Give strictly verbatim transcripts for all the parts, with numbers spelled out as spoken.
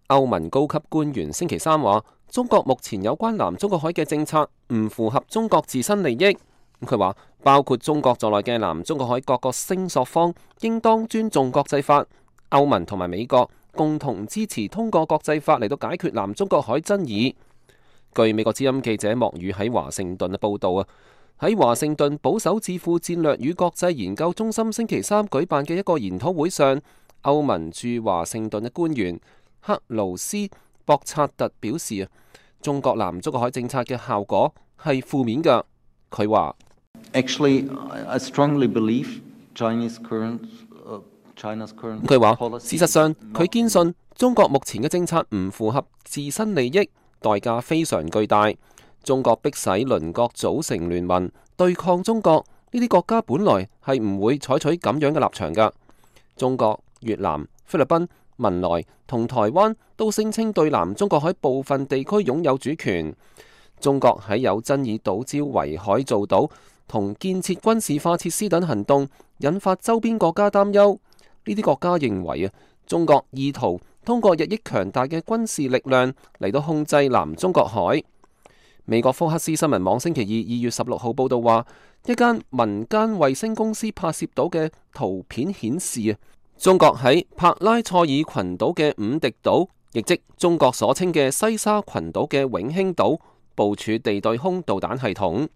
歐盟高級官員星期三話，中國目前有關南中國海嘅政策唔符合中國自身利益。佢話，包括中國在內嘅南中國海各個聲索方應當尊重國際法。歐盟同埋美國共同支持通過國際法嚟到解決南中國海爭議。據美國之音記者莫宇喺華盛頓嘅報導啊，喺華盛頓保守智庫戰略與國際研究中心星期三舉辦嘅一個研討會上，歐盟駐華盛頓嘅官員克勞斯博察特表示啊，中國南中國海政策嘅效果係負面㗎。佢話：Actually, I strongly believe Chinese current, uh, China's current 佢話事實上，佢堅信中國目前嘅政策唔符合自身利益，代價非常巨大。中國迫使鄰國組成聯盟對抗中國，呢啲國家本來係唔會採取咁樣嘅立場㗎。中國、越南、菲律賓、文萊同台灣都聲稱對南中國海部分地區擁有主權。中國喺有爭議島礁圍海造島同建設軍事化設施等行動，引發周邊國家擔憂。呢啲國家認為啊，中國意圖通過日益強大嘅軍事力量嚟到控制南中國海。美國福克斯新聞網星期二二月十六號報道話，一間民間衛星公司拍攝到嘅圖片顯示啊，中國喺帕拉塞爾群島嘅五敵島，亦即中國所稱嘅西沙群島嘅永興島，部署地對空導彈系統。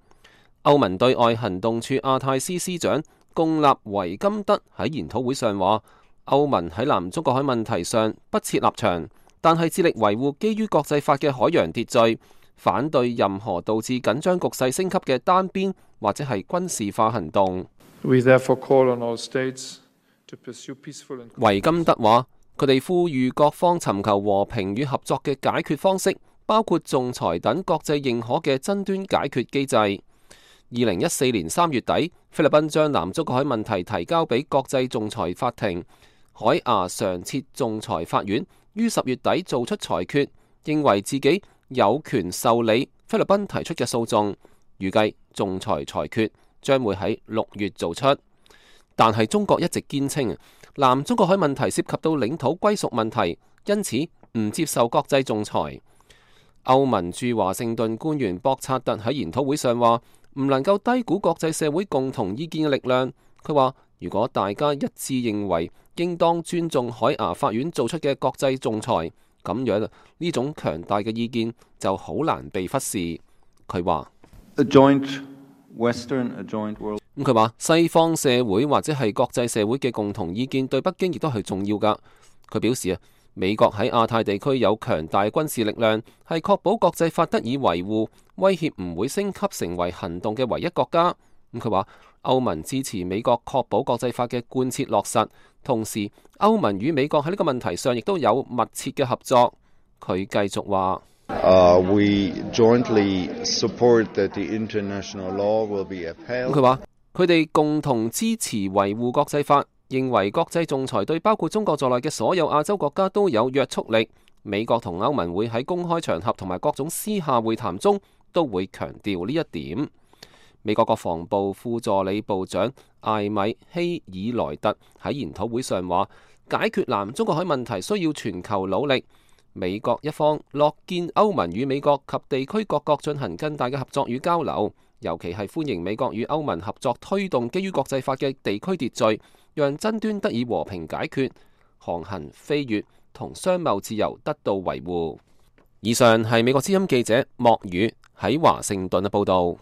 歐盟對外行動處亞太司司長貢納維金德喺研討會上話，歐盟喺南中國海問題上不設立場，但係致力維護基於國際法嘅海洋秩序，反對任何導致緊張局勢升級嘅單邊或者係軍事化行動。維金德話，佢哋呼籲各方尋求和平與合作嘅解決方式，包括仲裁等國際認可嘅爭端解決機制。二零一四年三月底，菲律賓將南中國海問題提交俾國際仲裁法庭，海牙常設仲裁法院於十月底做出裁決，認為自己有權受理菲律賓提出嘅訴訟，預計仲裁裁決將會喺六月做出。但係中國一直堅稱南中國海問題涉及到領土歸屬問題，因此唔接受國際仲裁。歐盟駐華盛頓官員博察特喺研討會上話，唔能夠低估國際社會共同意見嘅力量。佢話，如果大家一致認為應當尊重海牙法院做出嘅國際仲裁，咁樣呢種強大嘅意見就好難被忽視。佢話，咁佢話西方社會或者係國際社會嘅共同意見對北京亦都係重要㗎。佢表示啊，美國喺亞太地區有強大軍事力量，係確保國際法得以維護，威脅唔會升級成為行動嘅唯一國家。咁佢話，歐盟支持美國確保國際法嘅貫徹落實，同時歐盟與美國喺呢個問題上亦都有密切嘅合作。佢繼續話，Uh, we jointly support that the international law will be upheld. 佢話佢哋共同支持維護國際法，認為國際仲裁對包括中國在內嘅所有亞洲國家都有約束力。美國同歐盟會喺公開場合同埋各種私下會談中都會強調呢一點。美國國防部副助理部長艾米希爾萊特喺研討會上話，解決南中國海問題需要全球努力。美國一方樂見歐盟與美國及地區各國進行更大嘅合作與交流，尤其係歡迎美國與歐盟合作推動基於國際法嘅地區秩序，讓爭端得以和平解決，航行、飛越同商貿自由得到維護。以上係美國之音記者莫宇喺華盛頓嘅報導。